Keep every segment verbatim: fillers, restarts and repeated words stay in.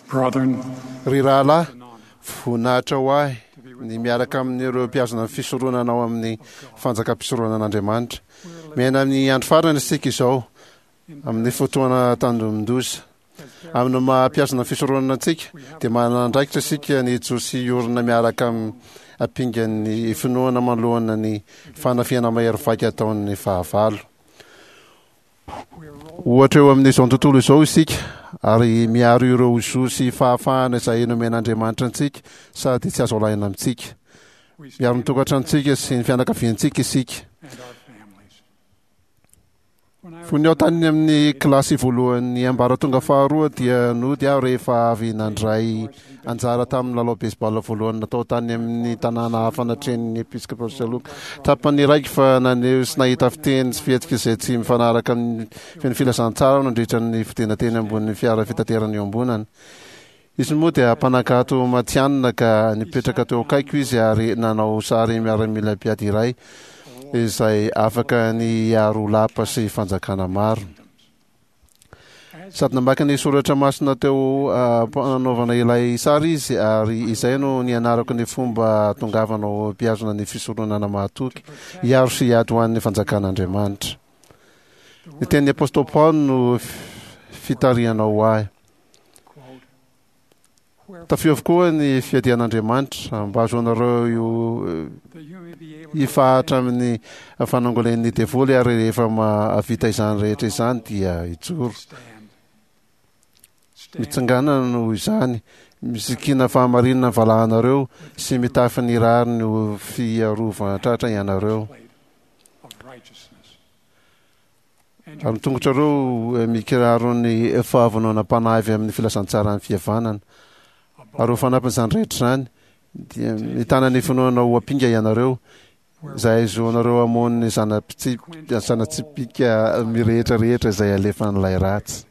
Brethren, Ry rahalahy, voninahitra ho ahy ny miaraka amin'ireo mpihazona ny fisoronana ao amin'ny fanjakam-pisoronan'Andriamanitra. Miaina amin'ny andro farany isika izao, amin'ny fotoana tandindomin-doza. Amin'ny maha mpihazona ny fisoronana antsika, dia manana andraikitra isika ny hijoro sy hiorina miaraka amin'ny ampingan'ny finoana manoloana ny fanafihana mahery vaika ataon'ny fahavalo. Ohatra eo amin'izao tontolo izao isika ary miaro ireo zo sy fahafahana izay nomen'Andriamanitra antsika sady tsy azo alaina amintsika. Miaro ny tokantranontsika sy ny fianakaviantsika isika. Fony aho tany amin'ny kilasy voalohan'ny ambaratonga faharoa dia nody aho rehefa avy nandray anjara tamin'ny lalao baseball voalohany natao tany amin'ny tanàna hafa natrehin'ny Episcopal Saloka. Tsapan'ny raiko fa naneho sy nahita fiteny sy fihetsika izay tsy mifanaraka amin'ny feno filazantsara aho nandritra ny fidina teny ambonin'ny fiara fitaterana iombonana. Izy moa dia mpanankato matihanina ka nipetraka teo akaiko izy ary nanao sary miaramila mpiady iray izay afaka ny hiaro lapa sy fanjakana maro. Sady namaky ny soratra masina teo am-panaovana ilay sary izy ary izay no nianarako ny fomba hahatongavana ho mpihazona ny fisoronana mahatoky, hiaro sy hiady ho an'ny fanjakan'Andriamanitra. Ny tenin'ny Apostoly Paoly no fitarihana ho ahy. Tafio avokoa ny fiadian'Andriamanitra mba hahazoanareo io hifahatra amin'ny fanangolen'ny devoly ary rehefa mahavita izany rehetra izany dia hijoro. Mitsangana noho izany, misikina fahamarinana ny valahanareo sy mitafy ny rariny ho fiarovan-tratra ianareo. Ary ny tongotrareo mikiraro ny fahavononam-panahy avy amin'ny filazantsaran'ny fihavanana. Ary ho fanampin'izany rehetra izany, dia mitana ny finoana ho ampinga ianareo, izay ahazoanareo hamono ny zana-tsipìka mirehitra rehetra izay alefan'ilay ratsy.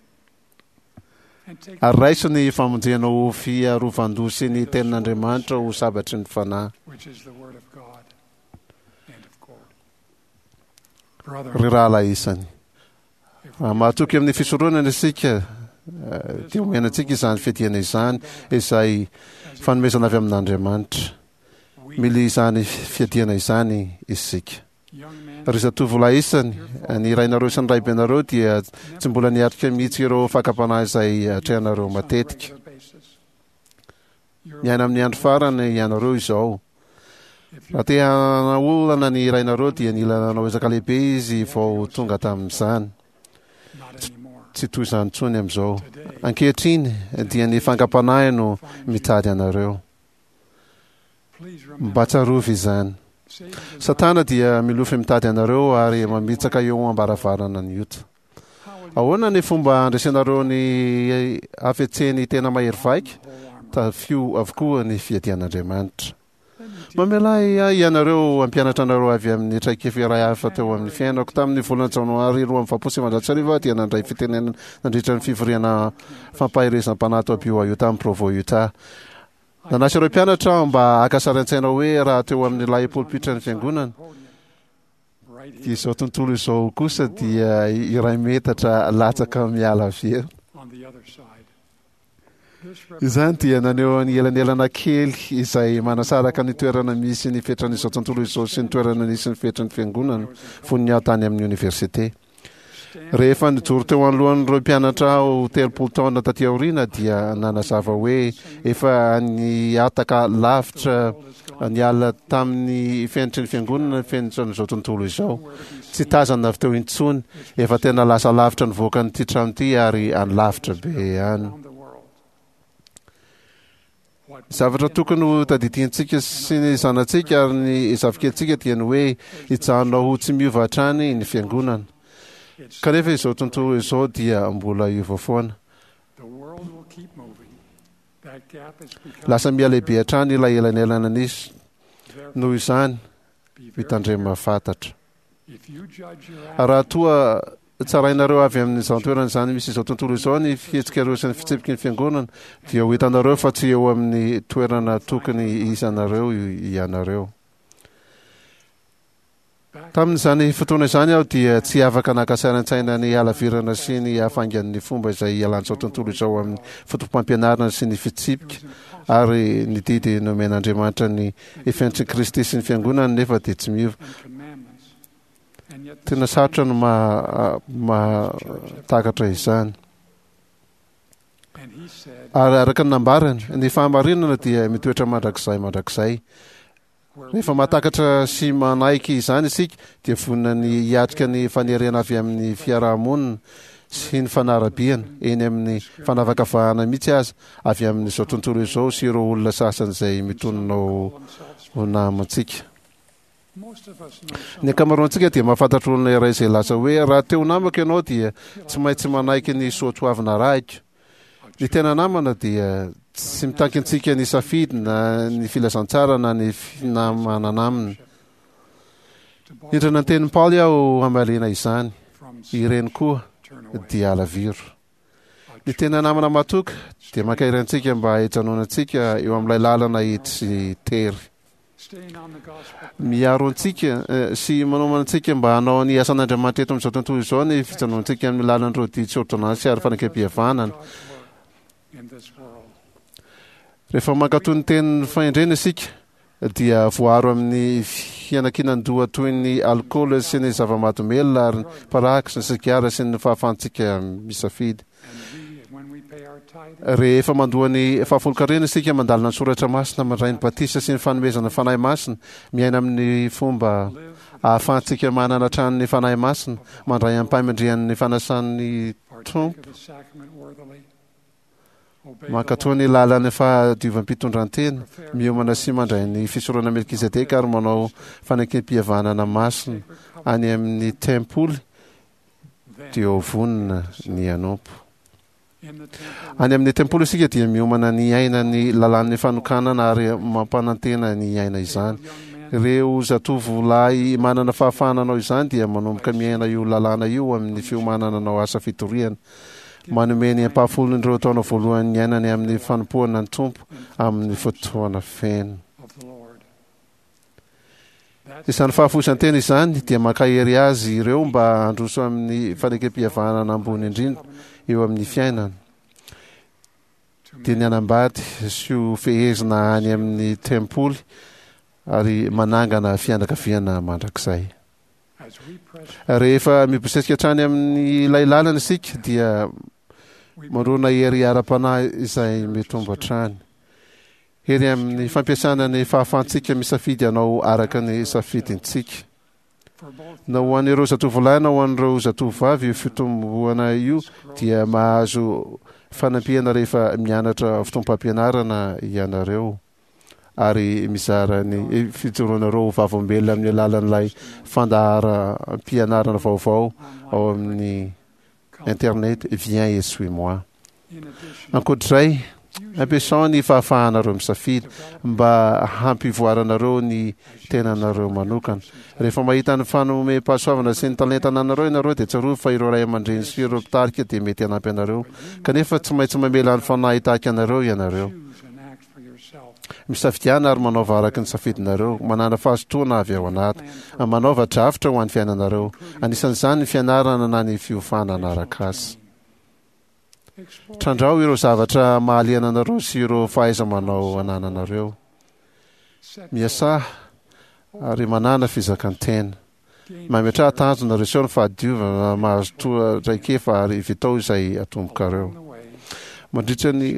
Ary raiso ny famonjena ho fiarovan-doha sy ny tenin'Andriamanitra ho sabatry ny fanahy. Ry rahalahy isany, raha mahatoky amin'ny fisoronana isika, dia omena antsika izany fiadiana izany, izay fanomezana avy amin'Andriamanitra. Mila izany fiadiana izany isika. Ry zatovolahy isany, ny rainareo sy ny raibenareo dia tsy mbola niatrika mihitsy ireo fakam-panahy izay atrehanareo matetika. Miaina amin'ny andro farany ianareo izao. Raha te hanaolana ny rainareo dia nila nanao ezaka lehibe izy vao tonga tamin'izany. Tsy toy izany intsony amin'izao. Ankehitriny dia ny fangam-panahy no mitady anareo. Mba tsarovy izany. Satana dia milofy mitady anareo ary mamitsaka eo am-baravarana ny ota. Ahoana ny fomba handresenareo ny hafetsen'ny tena mahery vaika? Tafio avokoa ny fiadian'Andriamanitra. Mamelà ahy ianareo hampianatra anareo avy amin'ny traikefa iray hafa teo amin'ny fiainako. Tamin'ny volana Janoary roa amby valopolo sy sivinjato sy arivo aho dia nandray fitenenana nandritra ny fivoriana fampaherezam-panahy tao B Y U tany Provo, Utah. Nanasa ireo mpianatra aho mba haka sary an-tsaina hoe raha teo amin'ilay polipitran'ny fiangonana, Dia izao tontolo izao kosa dia iray metatra latsaka miala avy eo. Izany dia naneho ny elanelana kely izay manasaraka ny toerana misy ny fetran'izao tontolo izao sy ny toerana nisy ny fetran'ny fiangonana fony aho tany amin'ny oniversite. Rehefa nijoro teo anoloan'ireo mpianatra aho telopolo taona taty aoriana dia nanazava hoe efa nihataka lavitra niala tamin'ny fenitry ny fiangonana ny fenitran'izao tontolo izao. Tsy tazana avy teo intsony, efa tena lasa lavitra nivoaka an'ity trano ity ary any lavitra be any. Zavatra tokony ho tadidiantsika sy ny zanatsika ary ny zafikelintsika dia ny hoe hijanona ho tsy miova hatrany ny fiangonana. Kanefa izao tontolo izao dia mbola hiova foana. Lasa mihalehibe hatrany ilay elanelana nisy. Noho izany, mitandrema fatratra. Raha toa tsarainareo avy amin'izany toerana izany misy izao tontolo izao ny fihetsikareo sy ny fitsipiky ny fiangonana, dia ho hitanareo fa tsy eo amin'ny toerana tokony hisy anareo ianareo. Tamin'izany fotoana izany aho dia tsy afaka naka sary an-tsaina ny halavirana sy ny hafaingan'ny fomba izay ialan'izao tontolo izao amin'ny foto-pampianarana sy ny fitsipika ary ny didy nomen'Andriamanitra. Ny fenitr'i Kristy sy ny fiangonany nefa dia tsy miova. Tena sarotra no mahatakatra izany. Ary araka ny nambarany, ny fahamarinana dia mitoetra mandrakizay mandrakizay. Rehefa mahatakatra sy manaiky izany isika, dia vonona ny hiatrika ny fanerena avy amin'ny fiarahamonina sy ny fanarabiana, eny amin'ny fanavakavahana mihitsy aza, avy amin'izao tontolo izao sy ireo olona sasany izay mitonona ho namantsika. Ny ankamaroantsika dia mahafantatra olona iray izay laza hoe, "Raha te ho namako ianao dia tsy maintsy manaiky ny soatoavina arahiko." Ny tena namana dia tsy mitaky antsika ny safidy na ny filazantsara na ny finamanana aminy. Nindrana ny tenin'i Paoly aho hamaliana izany, ireny koa dia alaviro. Ny tena namana matoky dia mankahery antsika mba hijanonantsika eo amin'ilay lalana hitsy sy tery. Miaro antsika sy manomana antsika mba hanao ny asan'Andriamanitra eto amin'izao tontolo izao ny fijanonantsika amin'ny lalan'ireo didy sy ôrdônansy ary fanekempihavanana. Rehefa mankatò ny tenin'ny fahendrena isika dia voaro amin'ny fianankinan-doha toy ny alikaola sy ny zava-mahadomelina ary ny paraky sy ny sigara sy ny fahafahantsika misafidy. Rehefa mandoa ny fahafolonkarena isika, mandalina ny soratra masina, mandray ny batisa sy ny fanomezana ny Fanahy Masina, miaina amin'ny fomba ahafahantsika manana hatrany ny Fanahy Masina, mandray amim-pahamendrehana ny fanasan'ny Tompo, mankatò ny lalan'ny fahadiovam-pitondrantena, miomana sy mandray ny fisorona Melkizedeka ary manao fanekem-pihavanana masina any amin'ny tempoly, dia ho vonona ny hanompo. Any amin'ny tempoly isika dia miomana ny hiaina ny lalàn'ny fanokanana ary mampanantena ny hiaina izany. Ireo zatovolahy manana fahafahana hanao izany dia manomboka miaina io lalàna io amin'ny fiomanana hanao asa fitoriana. Manome ny ampahafolon'ireo taona voalohany niainany amin'ny fanompoana ny Tompo amin'ny fotoana feno. Izany fahafoizan-tena izany dia mankahery azy ireo mba handroso amin'ny fanekempihavanana ambony indrindra eo amin'ny fiainana, dia ny hanambady sy ho fehezina any amin'ny tempoly ary manangana fianakaviana mandrakizay. Rehefa mibosesika hatrany amin'ilay lalana isika dia mandrona hery ara-panahy izay mitombo hatrany. Hery amin'ny fampiasana ny fahafahantsika misafidy hanao araka ny safidintsika. Na ho an'ireo zatovolahy na ho an'ireo zatovovavy io fitomboana io dia mahazo fanampiana rehefa mianatra fotoam-pampianarana ianareo ary mizara ny fijoroanareo ho vavolombelona amin'ny alalan'ilay fandaharam-pianarana vaovao ao amin'ny internet Viens et suis-moi. Ankoatr'izay, ampiasao ny fahafahanareo misafidy mba hampivoaranareo ny tenanareo manokana. Rehefa mahita ny fanomem-pahasoavana sy ny talenta ananareo ianareo dia tsarovy fa ireo ray aman-dreny sy ireo mpitarika dia mety hanampy anareo, kanefa tsy maintsy mamela ny Fanahy hitarika anareo ianareo. Misafidiana ary manaova araka ny safidinareo, manàna fahazotoana avy ao anaty, manaova drafitra ho an'ny fiainanareo, anisan'izany ny fianarana na ny fiofanana arak'asa. Trandraho ireo zavatra mahaliana anareo sy ireo fahaiza-manao anananareo. Miasà ary manàna fizakan-tena. Mametraha tanjona, reseho ny fahadiovana, mahazotoa traikefa ary vitao izay atombokareo. Mandritra ny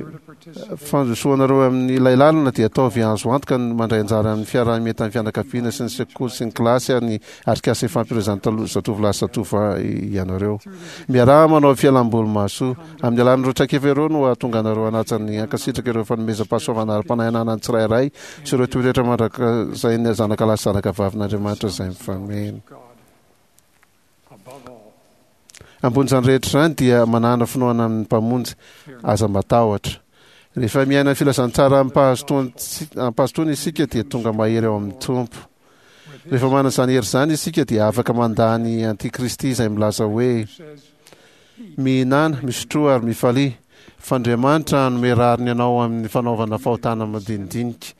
fandrosoanareo amin'ilay lalana dia ataovy azo antoka ny mandray anjara amin'ny fiaraha-mientan'ny fianakaviana sy ny sekoly sy ny kilasy ary ny atrikasa ifampielezan'ny zatovolahy sy zatovovavy ianareo. Miaraha manao fialamboly mahasoa. Amin'ny alalan'ireo traikefa ireo no hahatonga anareo hanaja ny hankasitraka ireo fanomezam-pahasoavana ara-panahy ananan'ny tsirairay sy ireo toetra mandrakizay zanakalahy sy zanakavavin'Andriamanitra izay mifameno. Ambonin'izany rehetra izany dia manàna finoana amin'ny Mpamonjy, aza matahotra. Rehefa miaina ny filazantsara amim-pahazotoana isika dia tonga mahery ao amin'ny Tompo. Rehefa manana izany hery izany isika dia afaka mandà ny antikristy izay milaza hoe, Mihinàna, misotroa ary mifalia, fa Andriamanitra hanome rariny anao amin'ny fanaovana fahotana madinidinika.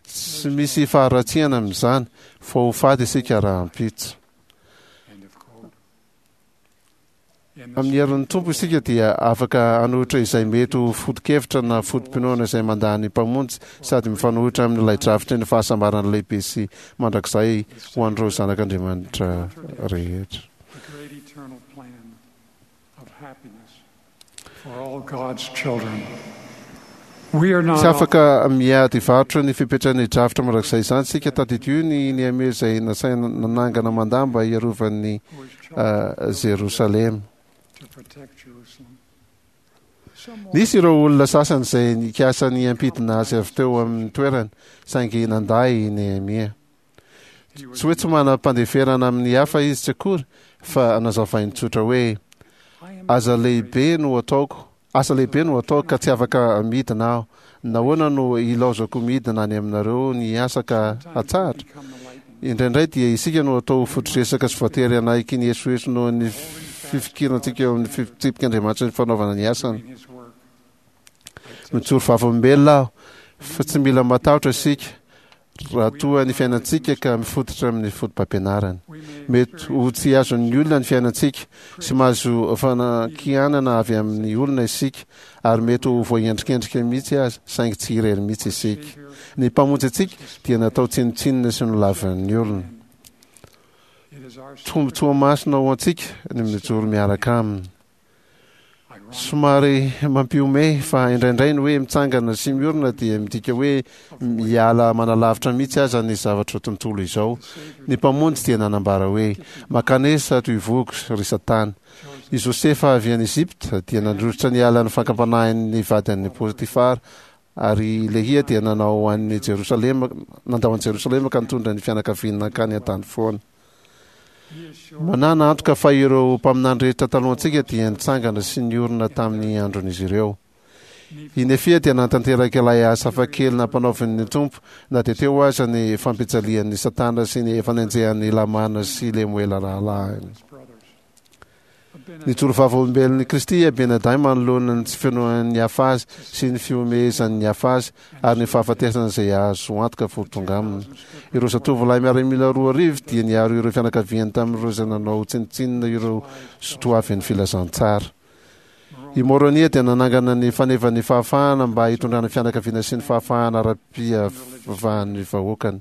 Tsy misy faharatsiana amin'izany fa ho faty isika rahampitso. Amin'ny herin'ny Tompo isika dia afaka hanohitra izay mety ho foto-kevitra na foto-pinoana izay mandà ny Mpamonjy sady mifanohitra amin'ilay drafitry ny fahasambarana lehibe sy mandrakizay ho an'ireo zanak'Andriamanitra rehetra. Tsy afaka miady varotra ny fepetran'ny drafitra mandrakizay izany isika. Tadidio ny Nehemia izay nasaina nanangana manda mba hiarovan'ny Jerosalema. Nisy ireo olona sasany izay nikasa ny hampidina azy avy teo amin'ny toerany, saingy nandà i Nehemia. Tsy hoe tsy manam-pandeferana amin'ny hafa izy tsy akory, fa nazavainy tsotra hoe, Aza lehibe no ataoko, asa lehibe no ataoko ka tsy afaka midina aho. Nahoana no ilaozako midina any aminareo ny asa ka hatsahatra? Indraindray dia isika no atao ho fotodresaka sy voatery hanaiky ny esoeso noho ny fifikirantsika eo amin'ny fitsipik'Andriamanitra sy ny fanaovana ny asany. Mijoro vavolombelona aho fa tsy mila matahotra isika raha toa ny fiainantsika ka mifototra amin'ny fotopampianarana. Mety ho tsy azon'ny olona ny fiainantsika sy mahazo fanakianana avy amin'ny olona isika ary mety ho voaendrikendrika mihitsy aza, saingy tsy irery mihitsy isika. Ny Mpamonjy antsika dia natao tsinontsinona sy nolavin'ny olona. Tombontsoa masina ho antsika ny mijoro miaraka aminy. Somary mampihomehy fa indraindray ny hoe mitsangana sy miorina dia midika hoe miala manalavitra mihitsy aza ny zavatra tontolo izao. Ny Mpamonjy dia nanambara hoe, Mankanesa ato ivohoko, ry Satana. I Josefa avy any Egypta dia nandositra niala ny fakam-panahin'ny vadin'i Potifara, ary i Lehia dia nanao an'i Jerosalema, nandao an'i Jerosalema ka nitondra ny fianakaviany nankany an-tany foana. Manana antoka fa ireo mpaminany rehetra talohantsika dia nitsangana sy niorina tamin'ny andron'izy ireo. I Nefia dia nanatanteraka ilay asa hafakely nampanaovin'ny Tompo na dia teo aza ny fampijalian'i Satana sy ny fanenjehan'i Lamana sy Lemoela rahalahiny. Nijoro vavolombelon'i Kristy i Abinadahy manoloana ny tsy finoan'ny hafa azy sy ny fihomehezan'ny hafa azy ary ny fahafatesana izay azo antoka fa ho tonga aminy. Ireo zatovolahy miaramila roa arivo dia niaro ireo fianakaviany tamin'ireo izay nanao tsinontsinona ireo sotoavin'ny filazantsara. I Môrônia dia nanangana ny fanevan'ny fahafahana mba hitondrana fianakaviana sy ny fahafahana ara-pihavahan'ny vahoakany.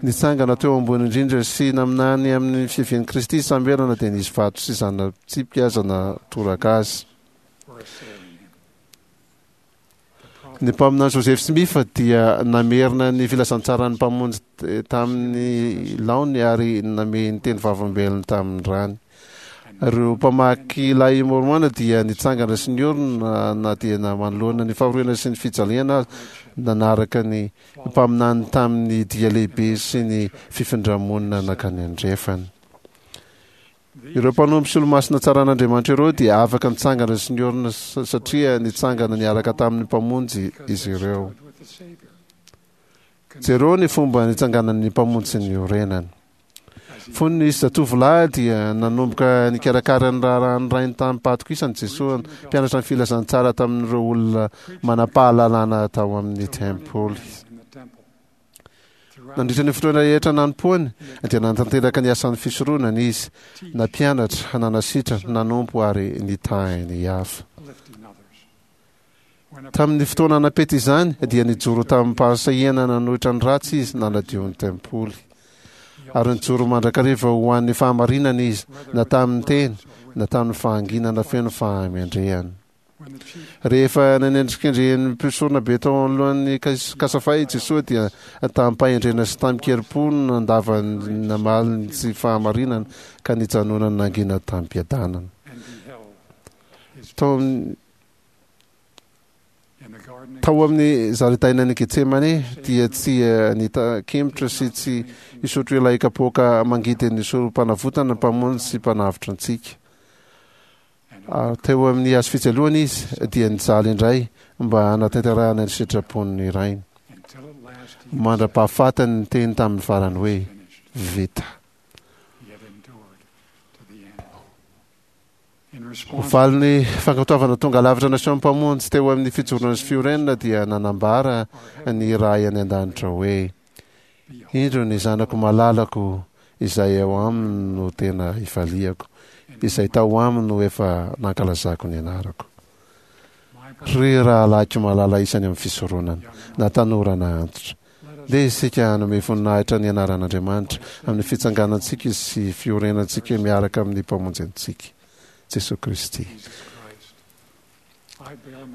Nitsangana teo ambony indrindra sy naminany amin'ny fiavian'i Kristy i Samoela na dia nisy vato sy zana-tsipika aza natoraka azy. Ny mpaminany Joseph Smith dia namerina ny filazantsaran'ny Mpamonjy tamin'ny laoniny ary namehy ny teny vavolombelony tamin'ny rany. Ireo mpamaky lay Môrmôna dia nitsangana sy niorina na dia manoloana ny fahoriana sy ny fijaliana aza, nanaraka ny mpaminany tamin'ny dia lehibe sy ny fifindra-monina nankany andrefana. Ireo mpanompo sy olomasina tsaran'Andriamanitra ireo dia afaka nitsangana sy niorina satria nitsangana niaraka tamin'ny Mpamonjy izy ireo. Jereo ny fomba nitsanganan'ny Mpamonjy sy niorenany. Fony izy zatovolahy dia nanomboka nikarakara ny raharahan'ny rainy tamim-pahatokisana Jesoa, mpianatra ny filazantsara tamin'ireo olona manam-pahalalana tao amin'ny tempoly. Nandritra ny fotoana rehetra nanompoany, dia nanatanteraka ny asan'ny fisoronana izy, nampianatra, nanasitrana, nanompo ary nitahy ny hafa. Tamin'ny fotoana nampety izany, dia nijoro tamim-pahasahiana nanohitra ny ratsy izy, nanadio ny tempoly. Ary nijoro mandrakariva ho an'ny fahamarinana izy, na tamin'ny teny, na tamin'ny fahanginana feno fahamendrehana. Rehefa nanendrikendrehin'ny mpisoronabe tao anoloan'ny Kasafa i Jesoa dia tamim-pahendrena sy tamin-kerim-po no nandavany namaly ny tsy fahamarinana ka nijanonany nangina tamim-piadanana. Tao amin'ny Tao amin'ny zaridainan'i Getsemane dia tsy nitakemotra sy tsy hisotro ilay kapoaka mangidin'ny sorom-panavotana Mpamonjy sy Mpanavotra antsika. Ary teo amin'ny hazo fijaliana izy dia nijaly indray mba hanatanterahana ny sitrapon'ny Rainy, mandra-pahafatany niteny tamin'ny farany hoe, Vita. Ho valin'ny fankatoavana tonga lavitra nasehon'ny Mpamonjy teo amin'ny fijoroana sy fiorenana dia nanambara ny Ray any an-danitra hoe, Indro ny Zanako malalako izay ao aminy no tena ifaliako, izay tao aminy no efa nankalazako ny anarako. Ry rahalahiko malala isany amin'ny fisoronana, na tanora na antitra, ndeha isika hanome voninahitra ny anaran'Andriamanitra amin'ny fitsanganantsika sy fiorenantsika miaraka amin'ny Mpamonjy antsika, Jesoa Kristy.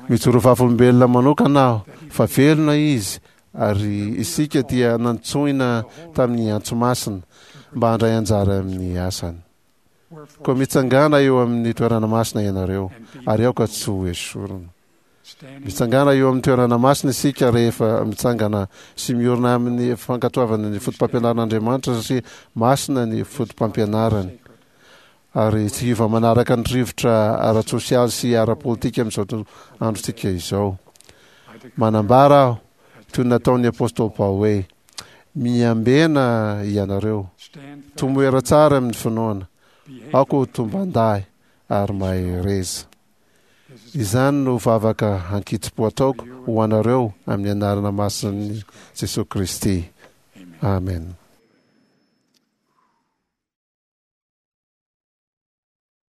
Mijoro vavolombelona manokana aho fa velona Izy ary isika dia nantsoina tamin'ny antso masina mba handray anjara amin'ny asany. Koa mitsangàna eo amin'ny toerana masina ianareo ary aoka tsy ho esorina. Mitsangàna eo amin'ny toerana masina isika rehefa mitsangana sy miorina amin'ny fankatoavana ny fotopampianaran'Andriamanitra satria masina ny fotopampianarany. Ary tsy hiova manaraka ny rivotra ara-tsosialy sy ara-politika amin'izao androntsika izao. Manambara aho, toy ny nataon'ny apostoly Paoly hoe, Miambena ianareo, tomoera tsara amin'ny finoana, aoka ho tomban-dahy ary mahereza. Izany no vavaka ankitsim-po ataoko ho anareo amin'ny anarana masin'i Jesoa Kristy. Amena.